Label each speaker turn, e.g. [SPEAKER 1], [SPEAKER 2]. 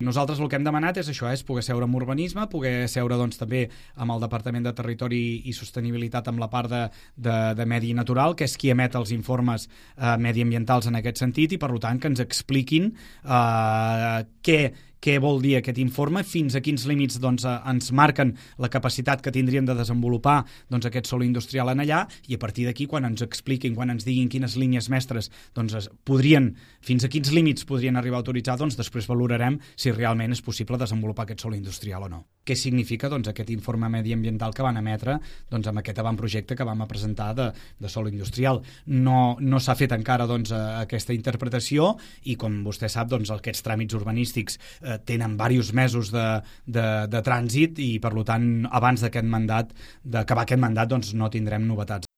[SPEAKER 1] Nosaltres el que hem demanat és això, és poder seure amb urbanisme, poder seure doncs, també amb el Departament de Territori i Sostenibilitat amb la part de medi natural, que és qui emet els informes mediambientals en aquest sentit, i per tant que ens expliquin què vol dir aquest informe, fins a quins límits doncs, ens marquen la capacitat que tindríem de desenvolupar doncs, aquest sòl industrial en allà, i a partir d'aquí, quan ens expliquin, quan ens diguin quines línies mestres doncs, fins a quins límits podrien arribar a autoritzar, doncs després valorarem si realment és possible desenvolupar aquest sòl industrial o no. Què significa doncs, aquest informe mediambiental que van emetre doncs, amb aquest avantprojecte que vam presentar de sòl industrial? No s'ha fet encara doncs, aquesta interpretació, i com vostè sap, doncs, aquests tràmits urbanístics tenen diversos mesos de trànsit, i per tant abans d'acabar aquest mandat doncs, no tindrem novetats.